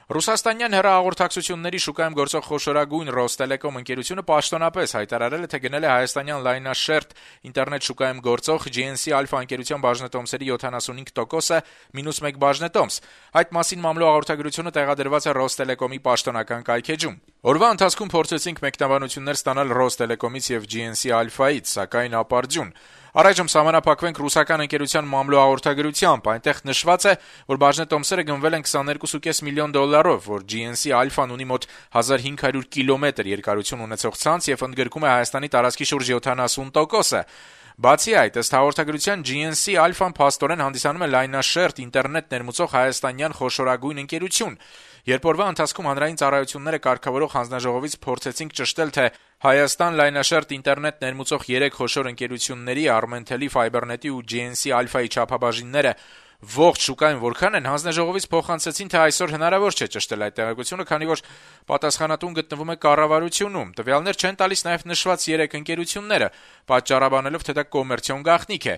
Ռուսաստանյան հեռահաղորդակցությունների շուկայում գործող խոշորագույն Ռոստելեկոմ ընկերությունը պաշտոնապես հայտարարել է, թե գնել է հայաստանյան լայնաշերտ ինտերնետ շուկայում գործող GNC Alpha ընկերության բաժնետոմսերի 75%-ը մինուս 1 բաժնետոմս։ Այդ մասին մամլո հաղորդագրությունը տեղադրված է Ռոստելեկոմի պաշտոնական կայքեջում։ Օրվա ընթացքում փորձեցինք մեկնաբանություններ ստանալ Ռոստելեկոմից եւ GNC Alpha-ից, սակայն ապարդյուն։ Առայժմ սահմանափակվենք ռուսական ընկերության մամլո հաղորդագրությամբ, այնտեղ նշված է, որ բաժնետոմսերը գնվել են $22.5 միլիոն, որ GNC Alpha-ն ունի մոտ 1500 կիլոմետր երկարություն ունեցող ցանց եւ ընդգրկում է Հայաստանի տարածքի շուրջ 70%-ը։ Բացի այդ, ըստ հաղորդագրության GNC Alpha-ն փաստորեն հանդիսանում է լայնաշերտ ինտերնետ ներմուծող հայաստանյան խոշորագույն ընկերություն։ Երբ օրվա ընթացքում հանրային ծառայությունները կարգավորող հանձնաժողովից փորձեցինք ճշտել, թե Հայաստան լայնաշերտ ինտերնետ ներմուծող 3 խոշոր ընկերությունների Armentel-ի, Fibernet-ի ու GNC Alpha-ի չափաբաժինները ողջ շուկայում որքան են, հանձնաժողովից փոխանցեցին, թե այսօր հնարավոր չէ ճշտել այդ տեղեկությունը, քանի որ պատասխանատուն գտնվում է կառավարությունում։ Տվյալներ չեն տալիս նաև նշված 3 ընկերությունները, պատճառաբանելով, թե դա կոմերցիոն գաղտնիք է։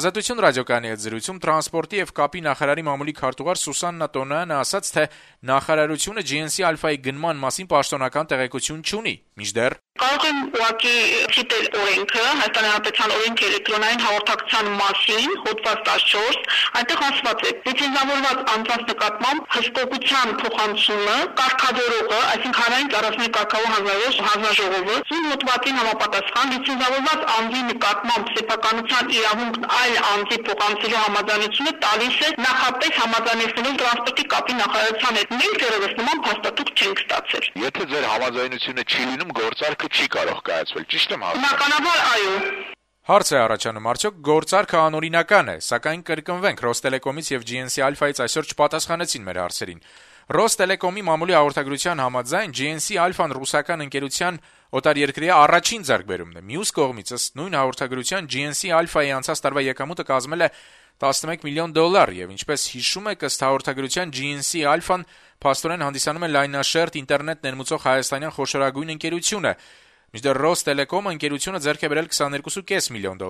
Ազատություն ռադիոկայանի հետ զրույցում տրանսպորտի եւ կապի նախարարի մամուլի քարտուղար Սուսաննա Տոնոյանը ասաց, թե նախարարությունը GNC Alpha-ի գնման մասին պաշտոնական տեղեկություն չունի։ Մինչդեռ կարող եմ ուղղակի ցիտել օրենքը, Հայաստանի Հանրապետության օրենքի էլեկտրոնային հաղորդակցության մասին, հոդված 14, այնտեղ ասված է. լիցենզավորված անձանց նկատմամբ հսկողության փոխանցումը կարգավորողը, այսինքն հանրային ծառայությունների կարգավոր հանձնաժողովը, սույն հոդվածին համապատասխան լիցենզավորված անձի նկատմամբ սեփականության իրավունքն այլ անձի փոխանցելու համաձայնությունը տալիս է նախապես համաձայնեցնելով տրանսպորտի կապի նախարարության հետ։ Մենք դեռևս նման փաստաթուղթ չենք ստացել։ Եթե ձեր համաձայնությունը չի լինում, գործարքը չի կարող կայացվել, ճիշտ եմ հասկանում։ Բնականաբար, այո։ Հարց է առաջանում, արդյոք գործարքը անօրինական է, սակայն կրկնվենք, Ռոստելեկոմից եւ GNC Alpha-ից այսօր չպատասխանեցին մեր հարցերին։ Ռոստելեկոմի մամուլի հաղորդագրության համաձայն GNC Alpha-ն ռուսական ընկերության օտարերկրյա առաջին ձեռքբերումն է։ Մյուս կողմից, ըստ նույն հաղորդագրության, GNC Alpha-ի անցած տարվա եկամուտը կազմել է $11 միլիոն եւ ինչպես հիշում եք, ըստ հաղորդագրության GNC Alpha-ն փաստորեն հանդիսանում է լայնաշերտ ինտերնետ ներմուծող հայաստանյան խոշորագույն ընկերությունը։ Մինչդեռ Ռոստելեկոմը ընկերությունը ձեռք է բերել $22.5 միլիոն։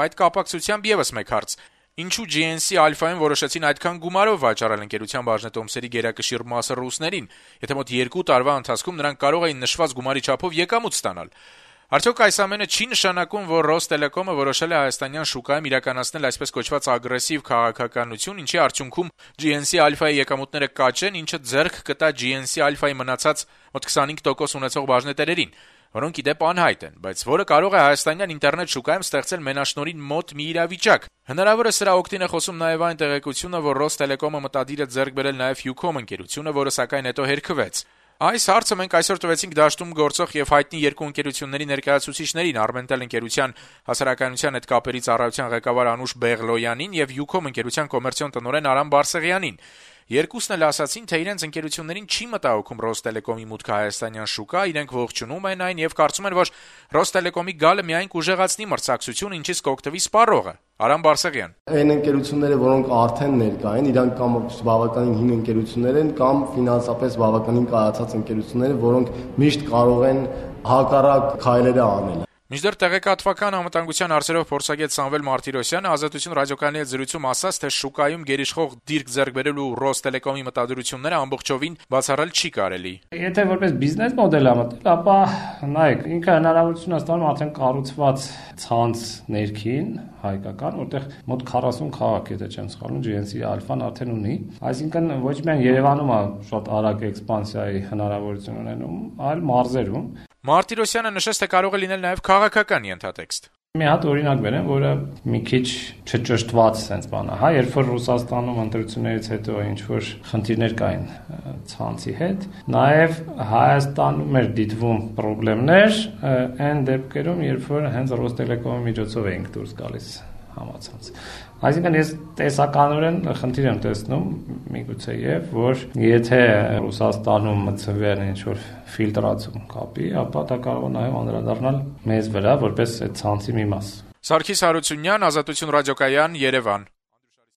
Այդ կապակցությամբ եւս մեկ հարց. ինչու GNC Alpha-ին որոշեցին այդքան գումարով վաճառել ընկերության բաժնետոմսերի գերակշիռ մասը ռուսներին, եթե մոտ 2 տարվա ընթացքում նրանք կարող էին նշված գումարի չափով եկամուտ ստանալ։ Արդյոք այս ամենը չի նշանակում, որ Ռոստելեկոմը որոշել է հայաստանյան շուկայում իրականացնել այսպես կոչված ագրեսիվ քաղաքականություն, ինչի արդյունքում GNC Alpha-ի եկամուտները կաճեն, ինչը ձեռք կտա GNC Alpha-ի մնացած մոտ 25% ունեցող բաժնետերերին, որոնք իդեպ անհայտ են, բայց որը կարող է հայաստանյան ինտերնետ շուկայում ստեղծել մենաշնորհին մոտ մի իրավիճակ։ Հնարավոր է սրա օգտին է խոսում նաև այն տեղեկությունը, որ Ռոստելեկոմը մտադիր է ձեռք բերել նաև Ucom ընկերությունը, որը սակայն հետո հերքվեց։ Այս հարցը մենք այսօր տվեցինք դաշտում գործող եւ հայտնի երկու ընկերությունների ներկայացուցիչներին, Armentel ընկերության հասարակայնության հետ կապերի ծառայության ղեկավար Անուշ Բեղլոյանին եւ Ucom ընկերության կոմերցիոն տնօրեն Արամ Բարսեղյանին։ Երկուսն էլ ասացին, թե իրենց ընկերություններին չի մտահոգում Ռոստելեկոմի մուտքը հայաստանյան շուկա, իրենք ողջունում են այն եւ կարծում են, որ Ռոստելեկոմի գալը միայն կուժեղացնի մրցակցությունը, ինչից կօգտվի սպառողը։ Արամ Բարսեղյան. Այն ընկերությունները, որոնք արդեն ներկա են, իրանք կամ բավականին հին ընկերություններ են, կամ ֆինանսապես բավականին կայացած ընկերություններ, որոնք միշտ կարող են հակառակ քայլերը անել։ Մինչդեռ տեղեկատվական անվտանգության հարցերով փորձագետ Սամվել Մարտիրոսյանը Ազատություն ռադիոկայանի հետ զրույցում ասաց, թե շուկայում գերիշխող դիրք ձեռք բերելու Ռոստելեկոմի մտադրությունները ամբողջովին բացառել չի կարելի։ Եթե որպես բիզնես մոդել ամտել, ապա նայեք, ինքը հնարավորություն է ստանում արդեն կառուցված ցանց ներքին հայկական, որտեղ մոտ 40 քաղաք, եթե չեմ սխալվում, GNC Alpha-ն արդեն ունի։ Այսինքն ոչ միայն Երևանում է շատ արագ էքսպանսիայի հնարավորություն ունենում, այլ մարզերում։ Մարտիրոսյանը նշեց, թե կարող է լինել նաև քաղաքական ենթատեքստ։ Մի հատ օրինակ բերեմ, որը մի քիչ չճշտված sense բան է, հա, երբ որ Ռուսաստանում ընտրություններից հետո ինչ որ խնդիրներ կային ցանցի հետ, նաև Հայաստանում էր դիտվում խնդիրներ այն դեպքերում, երբ որ հենց Ռոստելեկոմի միջոցով էինք դուրս գալիս համացանց։ Այսինքն ես տեսականորեն խնդիր եմ տեսնում միգուցե եւ որ եթե Ռուսաստանում մցվեն ինչ-որ ֆիլտրացում կապի, ապա դա կարող է նաեւ անդրադառնալ մեզ վրա որպես այդ ցանցի մի մաս։ Սարգիս Հարությունյան, Ազատություն ռադիոկայան, Երևան։